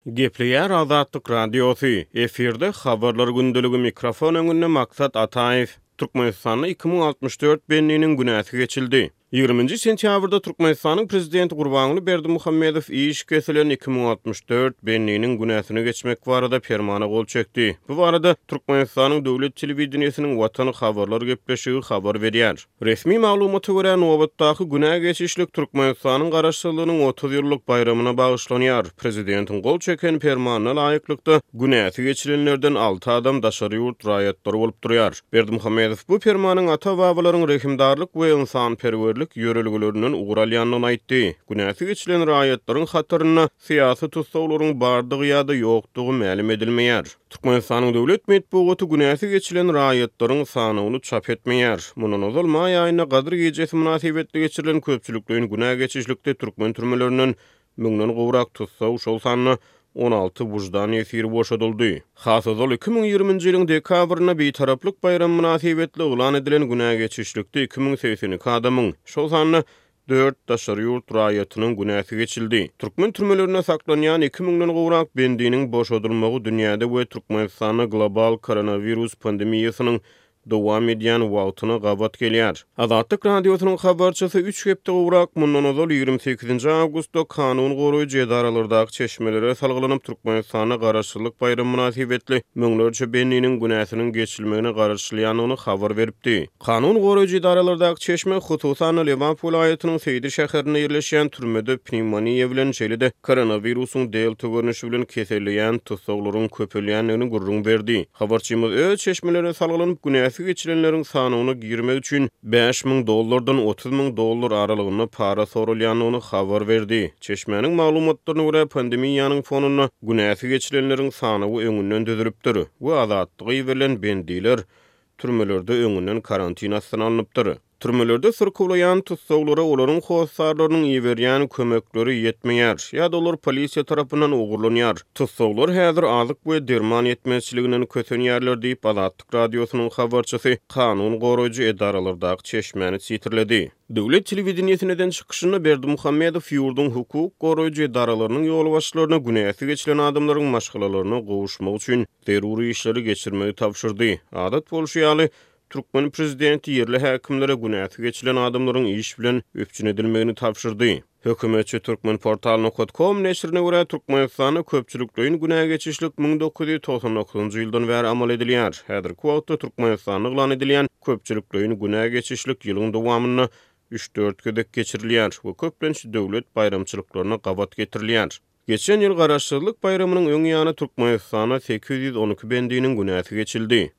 Gepleýär Azatlyk Radiosy, efirde Habarlar gündeligi mikrofon öňünde Maksat Ataýew. Türkmenistanda 2064 bendiniň günäsi geçildi. Ýigriminji sentýabrda Türkmenistanyň Prezidenti Gurbanguly Berdimuhamedow iş kesilen 2064 bendiniň günäsini geçmek barada permana gol çekdi. Bu barada Türkmenistanyň döwlet telewideniýesiniň Watan habarlar gepleşigi habar berýär. Resmi maglumata görä, nobatdaky günä geçişlik Türkmenistanyň Garaşsyzlygynyň 30 ýyllyk baýramyna bagyşlanýar. Prezidentiň gol çeken Permanyna laýyklykda, günäsi geçilenlerden alty adam daşary ýurt raýatlary bolup durýar. Berdimuhamedow bu Permanyň ata-babalaryň rehimdarlyk we ynsanperwerlik ýörelgelerinden ugur alýandygyny aýtdy. Günäsi geçilen raýatlaryň hatarynda syýasy tussaglaryň bardygy ýa-da ýokdugy mälim edilmeýär. Türkmenistanyň döwlet metbugaty günäsi geçilen raýatlaryň sanawyny çap etmeýär. Mundan ozal maý aýynda Gadyr gijesi mynasybetli geçirilen köpçülikleýin günä geçişlikde türkmen türmelerinden müňden gowrak tussag, şol sanda 16 wyždan ýesiri boşadyldy. Has ozal 2020-nji ýylyň dekabrynda Bitaraplyk baýramy mynasybetli yglan edilen günä geçişlikde 2082 adamyň, şol sanda Dört daşary ýurt raýatynyň günäsi geçildi. Türkmen türmelerinde saklanýan iki müňden gowrak bendiniň boşadylmagy dünýäde we Türkmenistanda global koronawirus pandemiýasynyň dowam edýän wagtyna gabat gelýär. Azatlyk Radiosynyň habarçysy üç hepde gowrak mundan ozal 28-nji awgustda kanun goraýjy edaralardaky çeşmelere salgylanyp, Türkmenistanda Garaşsyzlyk baýramy mynasybetli müňlerçe bendiniň günäsiniň geçilmegine garaşylýandygyny habar beripdi. Kanun goraýjy edaralardaky çeşme, hususan-da, Lebap welaýatynyň Seýdi şäherinde ýerleşýän türmede pnewmoniýa bilen, şeýle-de koronawirusyň delta görnüşi bilen keselleýän tussaglaryň köpelýändigini gürrüň berdi. Habarçymyz öz çeşmelerine salgylanyp, günäsi geçilenleriň sanawyna girmek üçin 5000 dollardan 30 000 dollar aralygynda para soralýandygyny habar berdi. Çeşmäniň maglumatlaryna görä, pandemiýanyň fonunda günäsi geçilenleriň sanawy öňünden düzülipdir we azatlyga iberilen bendiler Türmelerde öňünden karantin astyna alnypdyr. Türmelerde syrkawlaýan tussaglara olaryň hossarlarynyň iberýän kömekleri ýetmeýär ýa-da olar polisiýa tarapyndan ogurlanýar. Tussaglar häzir azyk we derman ýetmezçiliginden kösenýärler diýip, Azatlyk Radiosynyň habarçysy kanun goraýjy edaralardaky çeşmäni sitirledi. Döwlet telewideniýesinde eden çykyşynda Berdimuhamedow ýurduň hukuk goraýjy edaralarynyň ýolbaşçylaryna günäsi geçilen adamlaryň maşgalalaryna gowuşmak üçin zerur işleri geçirmegi tabşyrdy. Adat bolşy ýaly, türkmen prezidenti ýerli häkimlere günäsi geçilen adamlaryň iş bilen üpjün edilmegini tabşyrdy. Hökümetçi Turkmenportal nokat kom neşirine görä, Türkmenistanda köpçülikleýin günä geçişlik 1999-njy ýyldan bäri amal edilýär. Häzirki wagtda Türkmenistanda yglan edilýän köpçülikleýin günä geçişlik ýylyň dowamynda üç-dört gezek geçirilýär we köplenç döwlet baýramçylyklaryna gabat getirilýär. Geçen ýyl Garaşsyzlyk baýramynyň öň ýany Türkmenistanda 812 bendiniň günäsi geçildi.